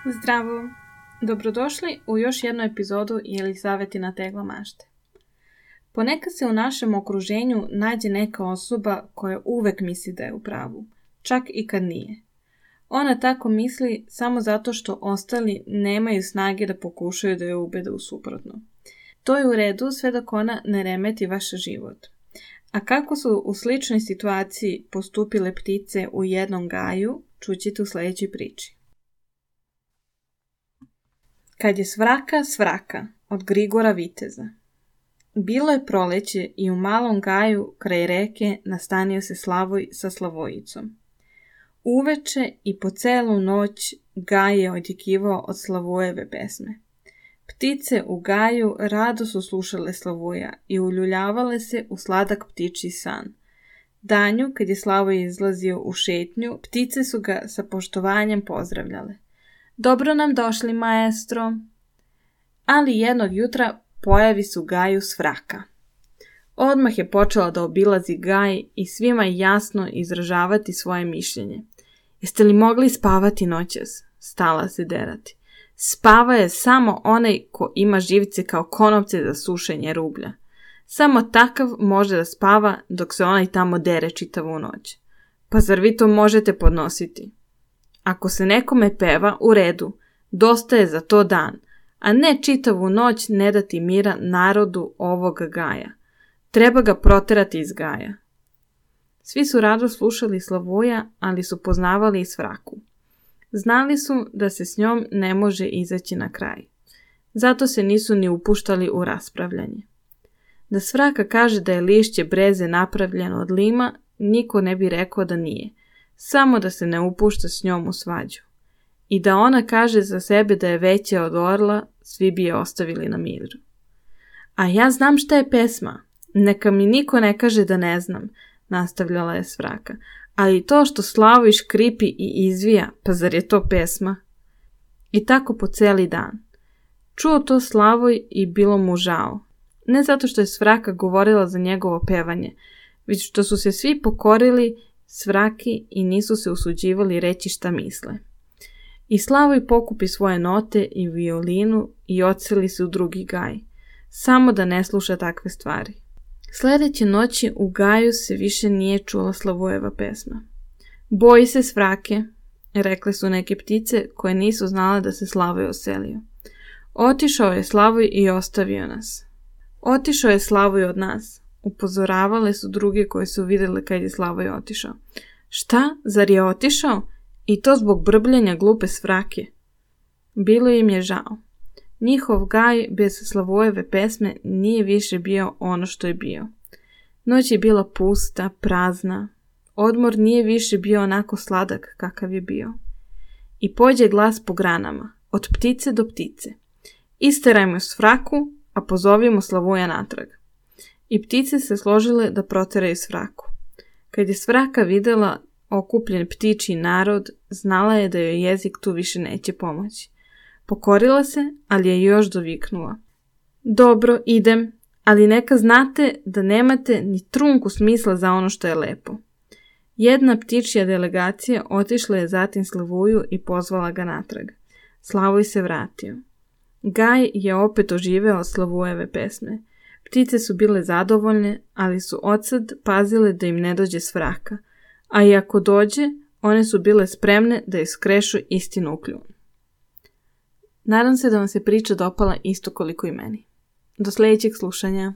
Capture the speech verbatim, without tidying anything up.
Zdravo! Dobrodošli u još jednu epizodu Jelisavetina tegla mašte. Ponekad se u našem okruženju nađe neka osoba koja uvek misli da je u pravu, čak i kad nije. Ona tako misli samo zato što ostali nemaju snage da pokušaju da je ubede u suprotno. To je u redu sve dok ona ne remeti vaš život. A kako su u sličnoj situaciji postupile ptice u jednom gaju, čućete u sljedećoj priči. Kad je svraka svraka od Grigora Viteza. Bilo je proleće i u malom gaju kraj reke nastanio se Slavoj sa Slavojicom. Uveče i po celu noć gaj je odjekivao od Slavojeve pesme. Ptice u gaju rado su slušale Slavoja i uljuljavale se u sladak ptičji san. Danju, kad je Slavoj izlazio u šetnju, ptice su ga sa poštovanjem pozdravljale. Dobro nam došli, maestro. Ali jednog jutra pojavi se u gaju svraka. Odmah je počela da obilazi gaj i svima jasno izražavati svoje mišljenje. Jeste li mogli spavati noćas? Stala se derati. Spava je samo onaj ko ima živce kao konopce za sušenje rublja. Samo takav može da spava dok se onaj tamo dere čitavu noć. Pa zar vi to možete podnositi? Ako se nekome peva, u redu, dosta je za to dan, a ne čitavu noć ne dati mira narodu ovog gaja. Treba ga proterati iz gaja. Svi su rado slušali Slavoja, ali su poznavali i svraku. Znali su da se s njom ne može izaći na kraj. Zato se nisu ni upuštali u raspravljanje. Da svraka kaže da je lišće breze napravljeno od lima, niko ne bi rekao da nije. Samo da se ne upušta s njom u svađu. I da ona kaže za sebe da je veća od orla, svi bi je ostavili na miru. A ja znam šta je pesma. Neka mi niko ne kaže da ne znam, nastavljala je svraka. Ali to što Slavoj škripi i izvija, pa zar je to pesma? I tako po celi dan. Čuo to Slavoj i bilo mu žao. Ne zato što je svraka govorila za njegovo pevanje, već što su se svi pokorili svraki i nisu se usuđivali reći šta misle. I Slavoj pokupi svoje note i violinu i odseli se u drugi gaj, samo da ne sluša takve stvari. Sljedeće noći u gaju se više nije čula Slavojeva pesma. Boji se svrake, rekle su neke ptice koje nisu znale da se Slavoj oselio. Otišao je Slavoj i ostavio nas. Otišao je Slavoj od nas. Upozoravale su druge koje su vidjele kad je Slavoj otišao. Šta? Zar je otišao? I to zbog brbljenja glupe svrake. Bilo im je žao. Njihov gaj bez Slavojeve pesme nije više bio ono što je bio. Noć je bila pusta, prazna. Odmor nije više bio onako sladak kakav je bio. I pođe glas po granama, od ptice do ptice. Isterajmo svraku, a pozovimo Slavoja natrag. I ptice se složile da proteraju svraku. Kad je svraka vidjela okupljen ptičji narod, znala je da joj jezik tu više neće pomoći. Pokorila se, ali je još doviknula. Dobro, idem, ali neka znate da nemate ni trunku smisla za ono što je lepo. Jedna ptičja delegacija otišla je zatim Slavoju i pozvala ga natrag. Slavoj se vratio. Gaj je opet oživeo od Slavojeve pesme. Ptice su bile zadovoljne, ali su odsad pazile da im ne dođe svraka, a i ako dođe, one su bile spremne da iskrešu istinu u kljun. Nadam se da vam se priča dopala isto koliko i meni. Do sljedećeg slušanja.